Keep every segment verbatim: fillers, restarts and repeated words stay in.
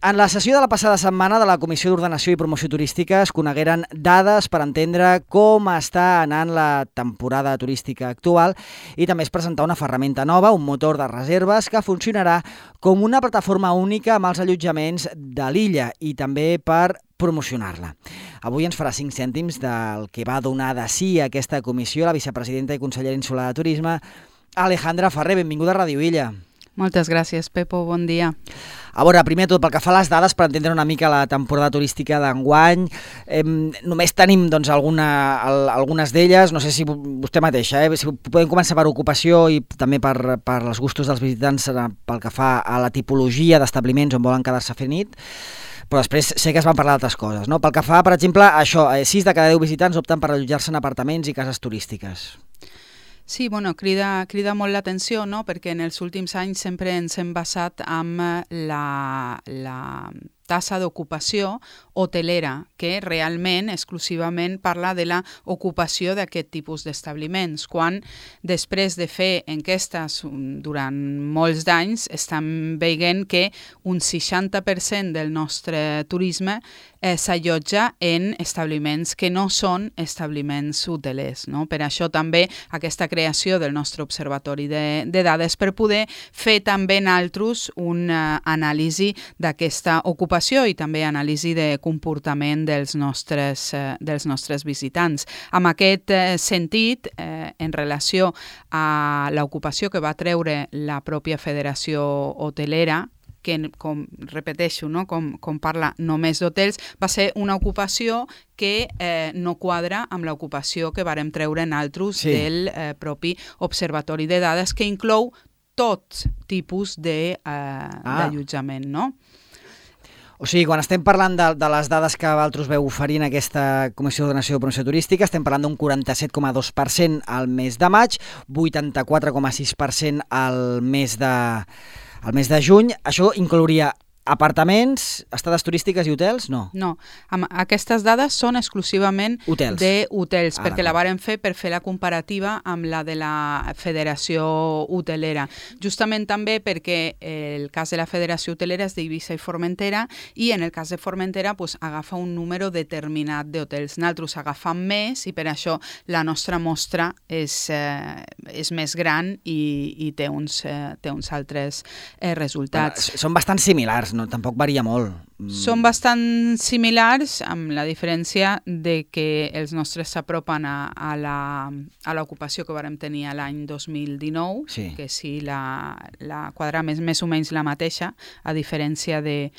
En la sessió de la passada setmana de la Comissió d'Ordenació i Promoció Turística es conegueren dades per entendre com està anant la temporada turística actual i també es presentà una ferramenta nova, un motor de reserves que funcionarà com una plataforma única amb els allotjaments de l'illa i també per promocionar-la. Avui ens farà cinc cèntims del que va donar de sí a aquesta comissió la vicepresidenta i consellera insular de Turisme, Alejandra Ferrer. Benvinguda a Ràdio Illa. Moltes gràcies, Pepo. Bon dia. A veure, primer de tot, pel que fa a les dades, per entendre una mica la temporada turística d'enguany, eh, només tenim doncs, alguna, el, algunes d'elles, no sé si vostè mateixa, eh, si podem començar per ocupació i també per, per els gustos dels visitants pel que fa a la tipologia d'establiments on volen quedar-se a fer nit, però després sé que es van parlar d'altres coses, no? Pel que fa, per exemple, a això, eh, sis de cada deu visitants opten per allotjar-se en apartaments i cases turístiques. Sí, bueno, crida, crida molt l'atenció, no? Perquè en els últims anys sempre ens hem basat en la, la tassa d'ocupació hotelera, que realment, exclusivament, parla de la ocupació d'aquest tipus d'establiments, quan després de fer enquestes durant molts d'anys estem veient que un seixanta per cent del nostre turisme eh, s'allotja en establiments que no són establiments hotelers, no? Per això també aquesta creació del nostre observatori de, de dades per poder fer també nosaltres una anàlisi d'aquesta ocupació i també anàlisi de comportament dels nostres, eh, dels nostres visitants. En aquest eh, sentit, eh, en relació a l'ocupació que va treure la pròpia Federació Hotelera, que, com repeteixo, no? com, com parla només d'hotels, va ser una ocupació que eh, no quadra amb l'ocupació que vàrem treure nosaltres sí. del eh, propi Observatori de Dades, que inclou tot tipus d'allotjament, de, eh, ah. no? O sigui, quan estem parlant de, de les dades que vosaltres veu oferint aquesta Comissió d'Ordenació i Promoció Turística, estem parlant d'un quaranta-set coma dos per cent al mes de maig, vuitanta-quatre coma sis per cent al mes de, al mes de juny. Això inclouria apartaments, estades turístiques i hotels? No. No. Aquestes dades són exclusivament hotels. de hotels, ah, perquè la vàrem fer per fer la comparativa amb la de la Federació Hotelera. Justament també perquè el cas de la Federació Hotelera és d'Eivissa i Formentera i en el cas de Formentera pues, agafa un número determinat d'hotels. Nosaltres agafam més i per això la nostra mostra és, eh, és més gran i, i té, uns, eh, té uns altres eh, resultats. Bueno, són bastant similars, no, tampoc varia molt. Són bastant similars, amb la diferència de que els nostres s'apropen a, a, la, a l'ocupació que vàrem tenir l'any dos mil dinou, sí. que sí, la, la quadra més, més o menys la mateixa, a diferència de,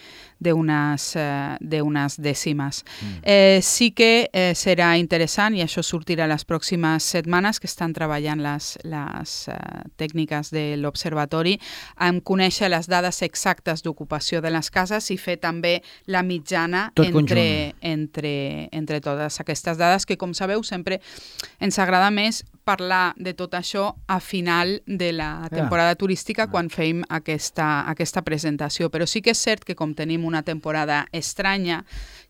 d'unes, eh, d'unes dècimes. Mm. Eh, sí que eh, serà interessant, i això sortirà les pròximes setmanes, que estan treballant les, les eh, tècniques de l'observatori, en conèixer les dades exactes d'ocupació de les cases i fer també la mitjana entre, entre, entre totes aquestes dades, que com sabeu sempre ens agrada més parlar de tot això a final de la temporada yeah. turística yeah. quan fem aquesta, aquesta presentació. Però sí que és cert que com tenim una temporada estranya,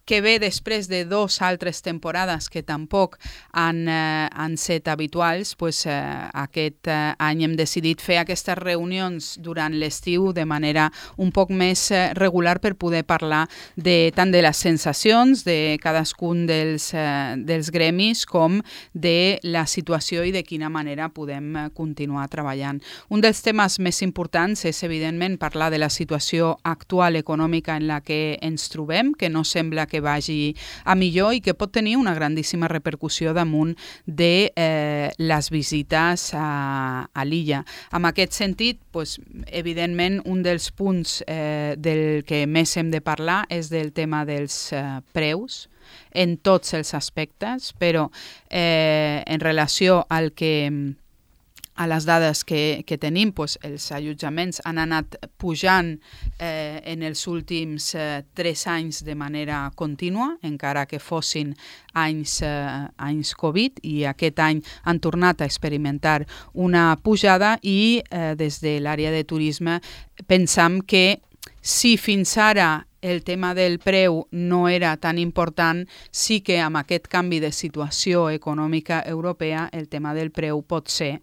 que ve després de dos altres temporades que tampoc han, eh, han set habituals, pues, eh, aquest eh, any hem decidit fer aquestes reunions durant l'estiu de manera un poc més eh, regular per poder parlar de, tant de les sensacions de cadascun dels, eh, dels gremis com de la situació i de quina manera podem eh, continuar treballant. Un dels temes més importants és, evidentment, parlar de la situació actual econòmica en la que ens trobem, que no sembla que vagi a millor i que pot tenir una grandíssima repercussió damunt de eh, les visites a, a l'illa. En aquest sentit, pues, evidentment, un dels punts eh, del que més hem de parlar és del tema dels eh, preus, en tots els aspectes, però eh, en relació al que a les dades que, que tenim, doncs, els allotjaments han anat pujant eh, en els últims eh, tres anys de manera contínua, encara que fossin anys, eh, anys Covid, i aquest any han tornat a experimentar una pujada i eh, des de l'àrea de turisme pensam que si fins ara el tema del preu no era tan important, sí que amb aquest canvi de situació econòmica europea el tema del preu pot ser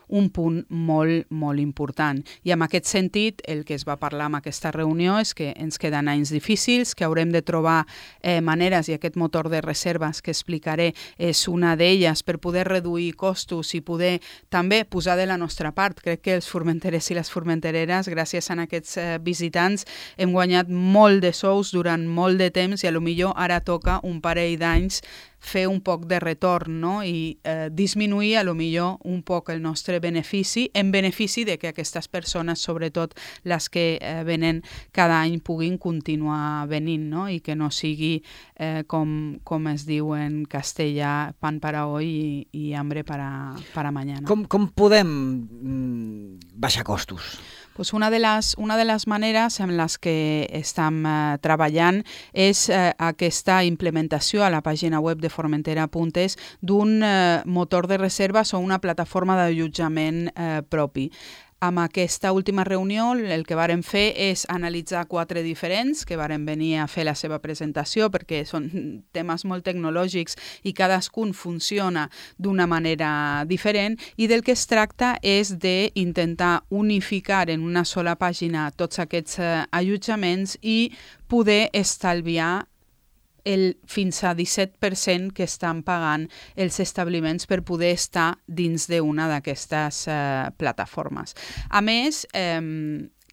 un punt molt, molt important. I en aquest sentit, el que es va parlar en aquesta reunió és que ens queden anys difícils, que haurem de trobar eh, maneres, i aquest motor de reserves que explicaré és una d'elles, per poder reduir costos i poder també posar de la nostra part. Crec que els formenterers i les formentereres, gràcies a aquests eh, visitants, hem guanyat molt de sous durant molt de temps i a lo millor ara toca un parell d'anys fer un poc de retorn, no? I eh, disminuir a lo millor un poc el nostre benefici, en benefici de que aquestes persones, sobretot les que eh, venen cada any, puguin continuar venint, no? I que no sigui, eh, com, com es diu en castellà, pan para hoy i, i hambre para, para mañana. Com, com podem mm, baixar costos? Pues una de les, una de les maneres en les que estem eh, treballant és eh, aquesta implementació a la pàgina web de Formentera punt es d'un eh, motor de reserves o una plataforma d'allotjament eh, propi. Amb aquesta última reunió el que vàrem fer és analitzar quatre diferents que vàrem venir a fer la seva presentació perquè són temes molt tecnològics i cadascun funciona d'una manera diferent i del que es tracta és d'intentar unificar en una sola pàgina tots aquests eh, allotjaments i poder estalviar el fins a disset per cent que estan pagant els establiments per poder estar dins d'una d'aquestes eh, plataformes. A més, eh,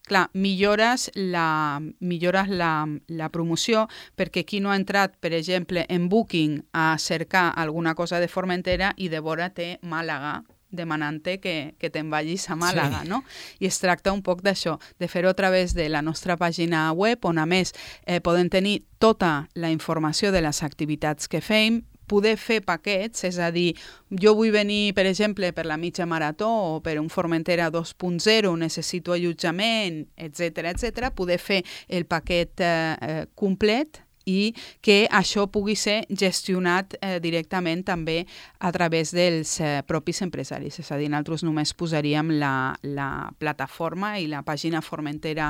clar, millores, la, millores la, la promoció perquè qui no ha entrat, per exemple, en Booking a cercar alguna cosa de Formentera i de vora té Màlaga, demanant-te que, que te'n vagis a Màlaga, sí. No? I es tracta un poc d'això, de fer-ho a través de la nostra pàgina web, on a més eh, podem tenir tota la informació de les activitats que fem, poder fer paquets, és a dir, jo vull venir, per exemple, per la mitja marató o per un Formentera dos punt zero, necessito allotjament, etcètera, etcètera, poder fer el paquet eh, eh, complet i que això pugui ser gestionat eh, directament també a través dels eh, propis empresaris. És a dir, nosaltres només posaríem la, la plataforma i la pàgina formentera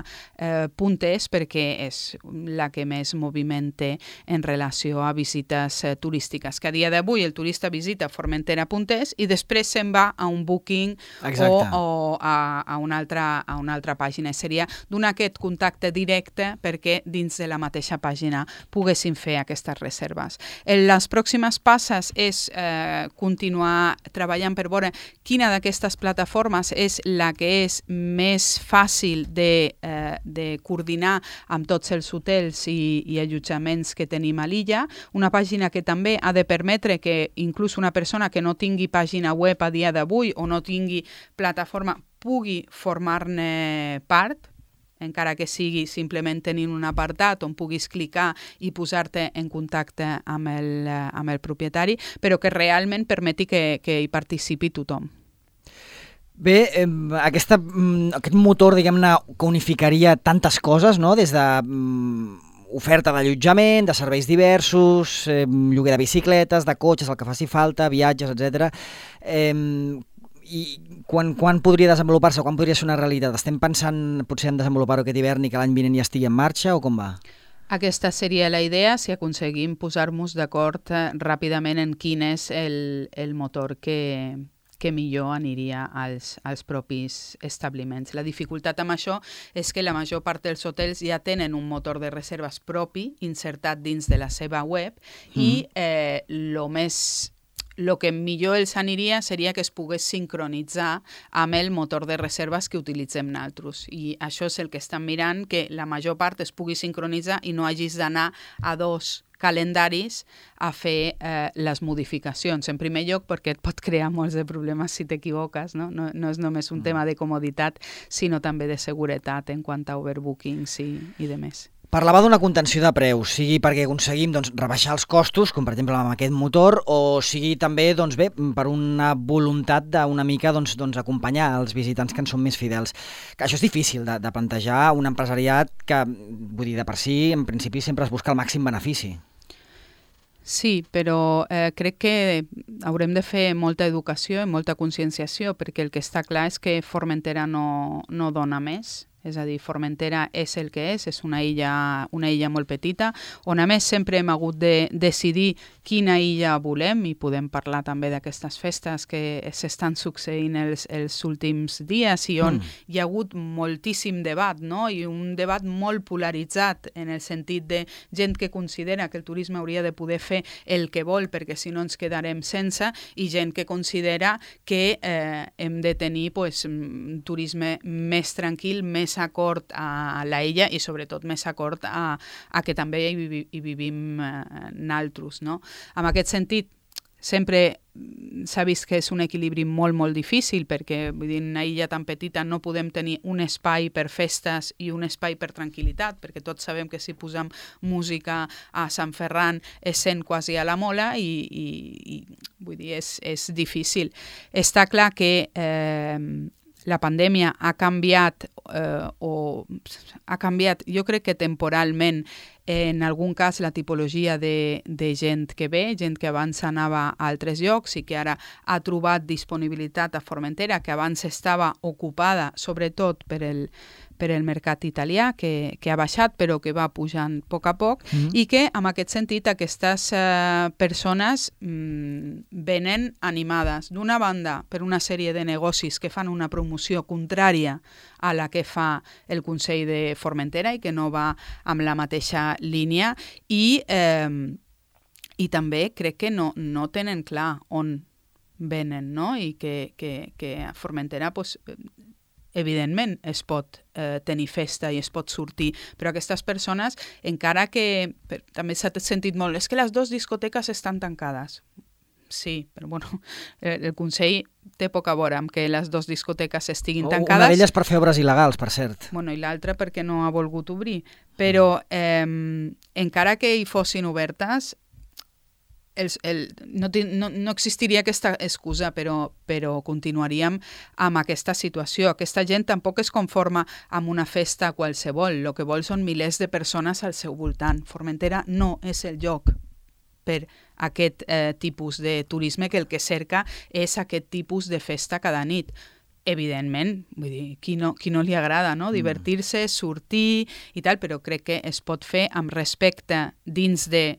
punt es eh, perquè és la que més moviment té en relació a visites eh, turístiques. Que a dia d'avui el turista visita formentera punt es i després se'n va a un Booking o, o a, a, una altra, a una altra pàgina. Seria donar aquest contacte directe perquè dins de la mateixa pàgina poguessin fer aquestes reserves. Les pròximes passes és eh, continuar treballant per veure quina d'aquestes plataformes és la que és més fàcil de, eh, de coordinar amb tots els hotels i, i allotjaments que tenim a l'illa. Una pàgina que també ha de permetre que inclús una persona que no tingui pàgina web a dia d'avui o no tingui plataforma pugui formar-ne part, encara que sigui simplement tenint un apartat on puguis clicar i posar-te en contacte amb el, amb el propietari, però que realment permeti que, que hi participi tothom. Bé, eh, aquesta, aquest motor, diguem-ne, que unificaria tantes coses, no?, des de mm, oferta d'allotjament, de serveis diversos, eh, lloguer de bicicletes, de cotxes, el que faci falta, viatges, etcètera. Eh, I quan, quan podria desenvolupar-se, quan podria ser una realitat? Estem pensant potser en desenvolupar-ho aquest hivern i que l'any vinent ja estigui en marxa o com va? Aquesta seria la idea si aconseguim posar-nos d'acord eh, ràpidament en quin és el, el motor que, que millor aniria als, als propis establiments. La dificultat amb això és que la major part dels hotels ja tenen un motor de reserves propi insertat dins de la seva web mm. i eh, lo més... el que millor els aniria seria que es pogués sincronitzar amb el motor de reserves que utilitzem nosaltres. I això és el que estem mirant, que la major part es pugui sincronitzar i no hagis d'anar a dos calendaris a fer eh, les modificacions. En primer lloc, perquè et pot crear molts de problemes si t'equivoques, no? No, no és només un mm. tema de comoditat, sinó també de seguretat en quant a overbookings i, i de més. Parlava d'una contenció de preus, sigui perquè aconseguim doncs, rebaixar els costos, com per exemple amb aquest motor, o sigui també doncs, bé, per una voluntat d'una mica doncs, doncs, acompanyar els visitants que en són més fidels. Que això és difícil de, de plantejar un empresariat que, vull dir, de per si, en principi sempre es busca el màxim benefici. Sí, però eh, crec que haurem de fer molta educació i molta conscienciació, perquè el que està clar és que Formentera no, no dona més. És a dir, Formentera és el que és, és una illa, una illa molt petita, on a més sempre hem hagut de decidir quina illa volem, i podem parlar també d'aquestes festes que s'estan succeint els, els últims dies i on mm. hi ha hagut moltíssim debat, no? I un debat molt polaritzat en el sentit de gent que considera que el turisme hauria de poder fer el que vol perquè si no ens quedarem sense, i gent que considera que eh, hem de tenir pues, un turisme més tranquil, més acord a la illa i sobretot més acord a, a que també hi, vi, hi vivim eh, naltros, no? En aquest sentit, sempre s'ha vist que és un equilibri molt, molt difícil perquè vull dir, en una illa tan petita no podem tenir un espai per festes i un espai per tranquil·litat, perquè tots sabem que si posem música a Sant Ferran es sent quasi a la mola i, i, i vull dir, és, és difícil. Està clar que eh, la pandèmia ha canviat eh, o ha canviat, jo crec que temporalment, en algun cas la tipologia de, de gent que ve, gent que abans anava a altres llocs i que ara ha trobat disponibilitat a Formentera, que abans estava ocupada sobretot per el, per el mercat italià, que, que ha baixat però que va pujant a poc a poc, mm-hmm. i que en aquest sentit aquestes eh, persones mm, venen animades d'una banda per una sèrie de negocis que fan una promoció contrària a la que fa el Consell de Formentera i que no va amb la mateixa línia i, eh, i també crec que no, no tenen clar on venen, no? I que, que, que a Formentera pues, evidentment es pot eh, tenir festa i es pot sortir, però aquestes persones, encara que per, també s'ha sentit molt, és que les dues discoteques estan tancades. Sí, però bueno, el Consell té poc a veure amb que les dues discoteques estiguin tancades. Una d'elles per fer obres il·legals, per cert. Bueno, i l'altra perquè no ha volgut obrir. Però eh, encara que hi fossin obertes, el, el, no, no, no existiria aquesta excusa, però, però continuaríem amb aquesta situació. Aquesta gent tampoc es conforma amb una festa qualsevol. El que vol són milers de persones al seu voltant. Formentera no és el lloc per aquest eh, tipus de turisme que el que cerca és aquest tipus de festa cada nit. Evidentment, vull dir, qui no, qui no li agrada, no? Divertir-se, sortir i tal, però crec que es pot fer amb respecte dins de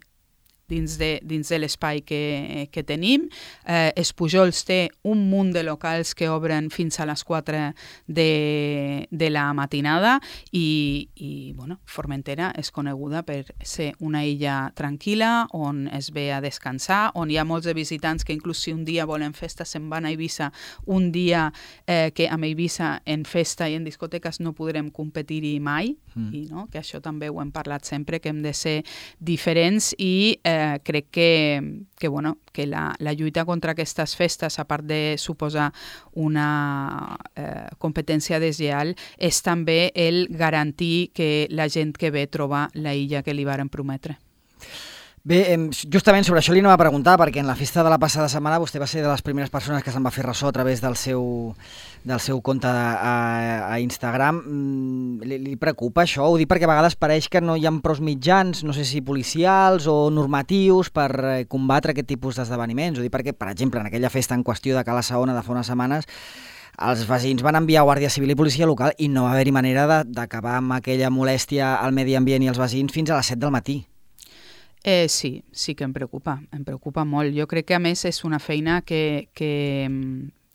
dins de, dins de l'espai que, que tenim. Eh, Espujols té un munt de locals que obren fins a les quatre de, de la matinada i, i bueno, Formentera és coneguda per ser una illa tranquil·la on es ve a descansar, on hi ha molts de visitants que inclús si un dia volen festa se'n van a Eivissa, un dia eh, que amb Eivissa en festa i en discoteques no podrem competir-hi mai, mm. i no? Que això també ho hem parlat sempre, que hem de ser diferents i eh, Eh, crec que, que, bueno, que la, la lluita contra aquestes festes, a part de suposar una eh, competència deslleial, és també el garantir que la gent que ve troba la illa que li varen prometre. Bé, justament sobre això li anava a preguntar, perquè en la festa de la passada setmana vostè va ser de les primeres persones que se'n va fer ressò a través del seu, del seu compte a, a Instagram. Li, li preocupa això? Ho dic perquè a vegades pareix que no hi ha prou mitjans, no sé si policials o normatius, per combatre aquest tipus d'esdeveniments. Ho dic perquè, per exemple, en aquella festa en qüestió de Cala Saona de fa unes setmanes, els veïns van enviar Guàrdia Civil i policia local i no va haver-hi manera d'acabar amb aquella molèstia al medi ambient i als veïns fins a les set del matí. Eh, sí, sí que em preocupa, em preocupa molt. Jo crec que a més és una feina que, que,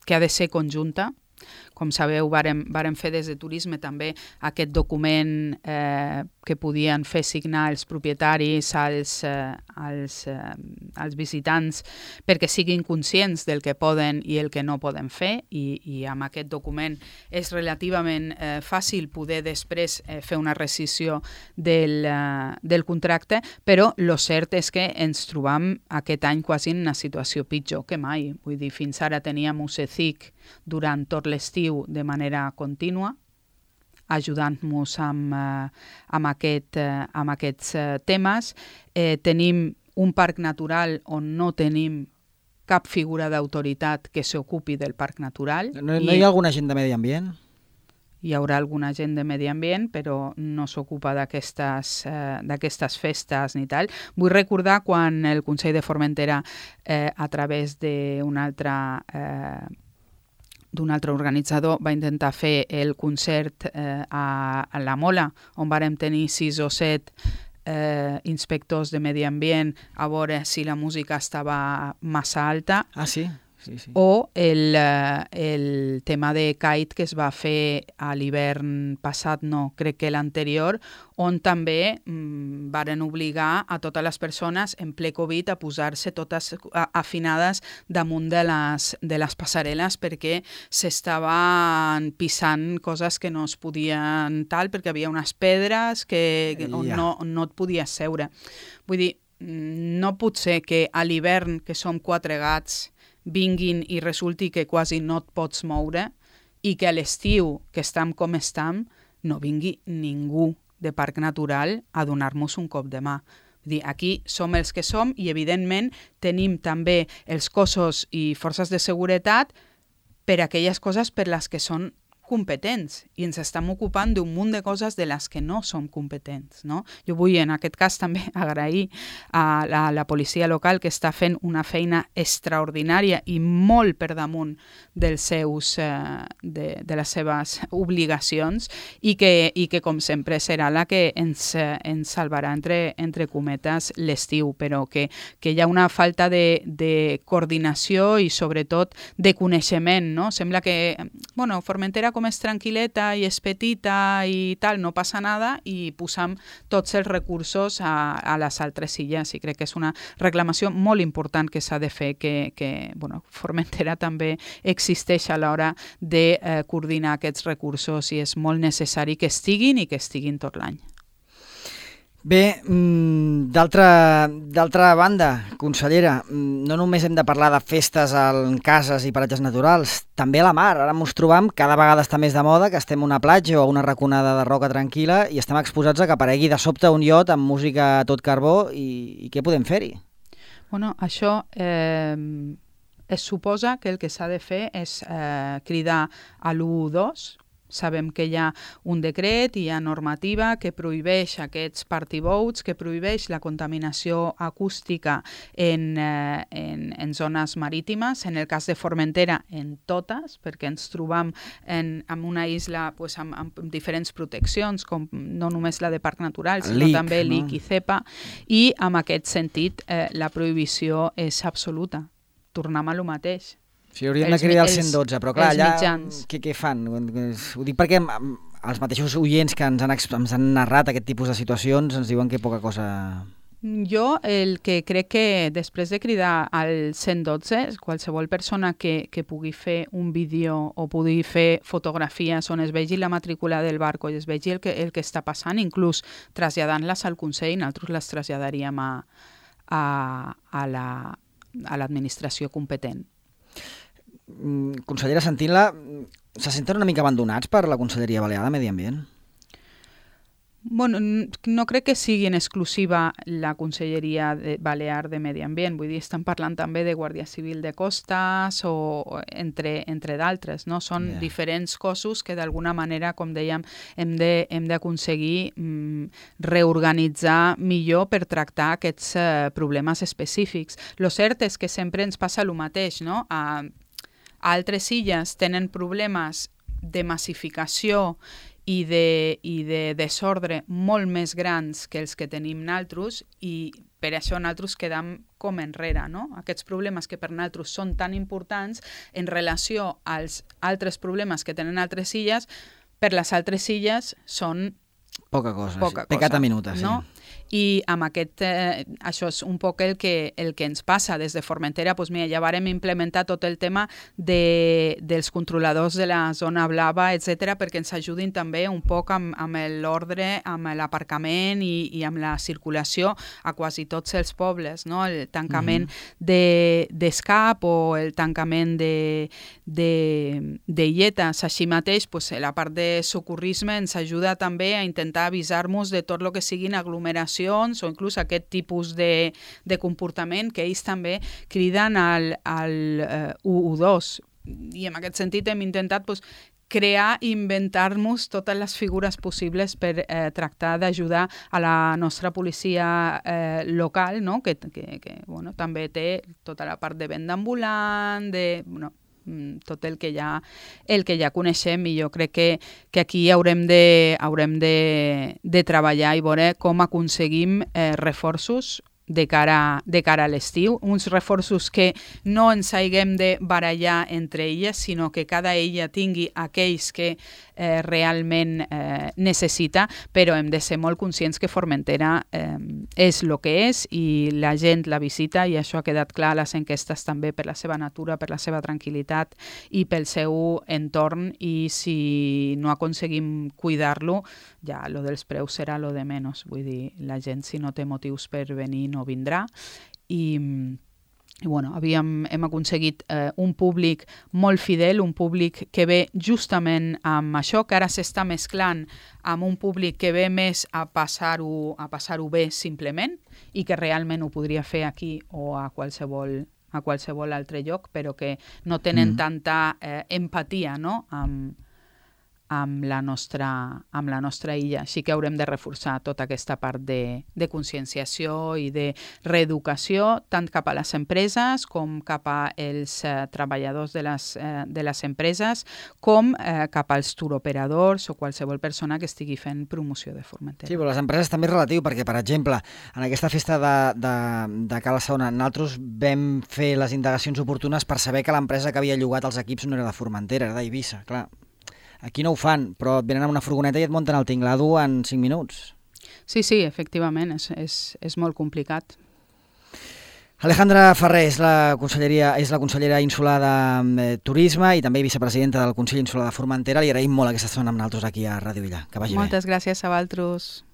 que ha de ser conjunta. Com sabeu, vàrem, vàrem fer des de Turisme també aquest document eh, que podien fer signar els propietaris als, eh, als, eh, als visitants perquè siguin conscients del que poden i el que no poden fer i, i amb aquest document és relativament eh, fàcil poder després eh, fer una rescissió del, eh, del contracte, però el cert és que ens trobam aquest any quasi en una situació pitjor que mai. Vull dir, fins ara teníem U C C I C durant tot l'estiu de manera contínua, ajudant-nos amb, eh, amb, aquest, eh, amb aquests eh, temes. Eh, tenim un parc natural on no tenim cap figura d'autoritat que s'ocupi del parc natural. No, no hi ha alguna gent de medi ambient? Hi haurà alguna gent de medi ambient, però no s'ocupa d'aquestes eh, d'aquestes festes ni tal. Vull recordar quan el Consell de Formentera, eh, a través d'un altre eh, d'un altre organitzador, va intentar fer el concert eh, a, a la Mola, on vàrem tenir sis o set eh, inspectors de medi ambient a veure si la música estava massa alta. Ah, sí? Sí, sí. O el, eh, el tema de Kite que es va fer a l'hivern passat, no, crec que l'anterior, on també mm, varen obligar a totes les persones en ple Covid a posar-se totes afinades damunt de les, de les passarel·les perquè s'estaven pisant coses que no es podien tal, perquè havia unes pedres que, que on no, no et podies seure. Vull dir, no pot ser que a l'hivern, que som quatre gats, vinguin i resulti que quasi no et pots moure i que a l'estiu, que estem com estem, no vingui ningú de Parc Natural a donar-nos un cop de mà. Vull dir, aquí som els que som i, evidentment, tenim també els cossos i forces de seguretat per a aquelles coses per les que són competents i ens estem ocupant d'un munt de coses de les que no som competents, no? Jo vull en aquest cas també agrair a la, a la policia local que està fent una feina extraordinària i molt per damunt dels seus, eh, de, de les seves obligacions i que, i que com sempre serà la que ens, eh, ens salvarà entre, entre cometes l'estiu, però que, que hi ha una falta de, de coordinació i sobretot de coneixement, no? Sembla que, bueno, Formentera com és tranquil·leta i és petita i tal, no passa nada i posam tots els recursos a, a les altres illes i crec que és una reclamació molt important que s'ha de fer, que, que bueno, Formentera també existeix a l'hora de eh, coordinar aquests recursos i és molt necessari que estiguin i que estiguin tot l'any. Bé, d'altra banda, consellera, no només hem de parlar de festes en cases i paratges naturals, també a la mar. Ara ens trobam, cada vegada està més de moda, que estem a una platja o a una raconada de roca tranquil·la i estem exposats a que aparegui de sobte un iot amb música a tot carbó i, i què podem fer-hi? Bueno, això eh, es suposa que el que s'ha de fer és eh, cridar a l'u dos. Sabem que hi ha un decret, hi ha normativa que prohibeix aquests party boats, que prohibeix la contaminació acústica en, eh, en, en zones marítimes, en el cas de Formentera en totes, perquè ens trobam en, en una isla pues, amb, amb diferents proteccions, com no només la de Parc Natural, sinó L I C, també no? L I C i CEPA, i en aquest sentit eh, la prohibició és absoluta. Tornem a lo mateix. Sí, hauríem de cridar el cent dotze, però clar, allà què, què fan? Ho dic perquè els mateixos oients que ens han, ens han narrat aquest tipus de situacions ens diuen que poca cosa... Jo el que crec que després de cridar al cent dotze, qualsevol persona que, que pugui fer un vídeo o pugui fer fotografies on es vegi la matrícula del barco i es vegi el que, el que està passant, inclús traslladant-les al Consell, nosaltres les traslladaríem a, a, a la, a l'administració competent. Consellera, sentint-la, se senten una mica abandonats per la Conselleria Balear de Medi Ambient? Bueno, no crec que sigui en exclusiva la Conselleria de Balear de Medi Ambient, vull dir, estan parlant també de Guàrdia Civil de Costes o entre, entre d'altres, no? Són yeah. diferents cossos que d'alguna manera, com dèiem, hem de, hem d'aconseguir mm, reorganitzar millor per tractar aquests uh, problemes específics. Lo cert és que sempre ens passa el mateix, no? A, a altres illes tenen problemes de massificació i de, i de desordre molt més grans que els que tenim nosaltres i per això nosaltres quedam com enrere, no? Aquests problemes que per nosaltres són tan importants en relació als altres problemes que tenen altres illes, per les altres illes són poca cosa, poca sí. Pecat a minuta, sí. No? I amb aquest, eh, això és un poc el que, el que ens passa des de Formentera, doncs mira, ja vàrem implementar tot el tema de, dels controladors de la zona blava, etcètera, perquè ens ajudin també un poc amb, amb l'ordre, amb l'aparcament i, i amb la circulació a quasi tots els pobles, no? El tancament uh-huh. de, d'escap o el tancament de, de, de illetes. Així mateix, doncs, la part de socorrisme ens ajuda també a intentar avisar-nos de tot el que siguin aglomeracions o inclús aquest tipus de, de comportament que ells també criden al, al uh, u dos. I en aquest sentit hem intentat pues, crear i inventar-nos totes les figures possibles per eh, tractar d'ajudar a la nostra policia eh, local, no? que, que, que bueno, també té tota la part de venda ambulant, de... Bueno, tot el que ja, el que ja coneixem, i jo crec que, que aquí haurem de, haurem de, de treballar i veure com aconseguim eh, reforços de cara, de cara a l'estiu, uns reforços que no ens haguem de barallar entre elles, sinó que cada ella tingui aquells que eh, realment eh, necessita, però hem de ser molt conscients que Formentera eh, és el que és i la gent la visita, i això ha quedat clar a les enquestes també, per la seva natura, per la seva tranquil·litat i pel seu entorn, i si no aconseguim cuidar-lo, ja lo dels preus serà lo de menys. Vull dir, la gent, si no té motius per venir, no vindrà, i, i bueno, havíem, hem aconseguit eh, un públic molt fidel, un públic que ve justament amb això, que ara s'està mesclant amb un públic que ve més a passar-ho a passar-ho bé simplement, i que realment ho podria fer aquí o a qualsevol a qualsevol altre lloc, però que no tenen mm. tanta eh, empatia, no?, amb amb la nostra, amb la nostra illa. Així que haurem de reforçar tota aquesta part de, de conscienciació i de reeducació, tant cap a les empreses com cap als eh, treballadors de les, eh, de les empreses, com eh, cap als turoperadors o qualsevol persona que estigui fent promoció de Formentera. Sí, però les empreses també és relatiu, perquè, per exemple, en aquesta festa de, de, de Cala Saona, nosaltres vam fer les indagacions oportunes per saber que l'empresa que havia llogat els equips no era de Formentera, era d'Eivissa, clar. Aquí no ho fan, però et venen amb una furgoneta i et munten el tinglado en cinc minuts. Sí, sí, efectivament, és, és, és molt complicat. Alejandra Ferrer és la, conselleria, és la consellera insular de eh, Turisme i també vicepresidenta del Consell Insular de Formentera. Li agraïm molt aquesta estona amb nosaltres aquí a Ràdio Illa. Que vagi bé. Moltes gràcies a vosaltres.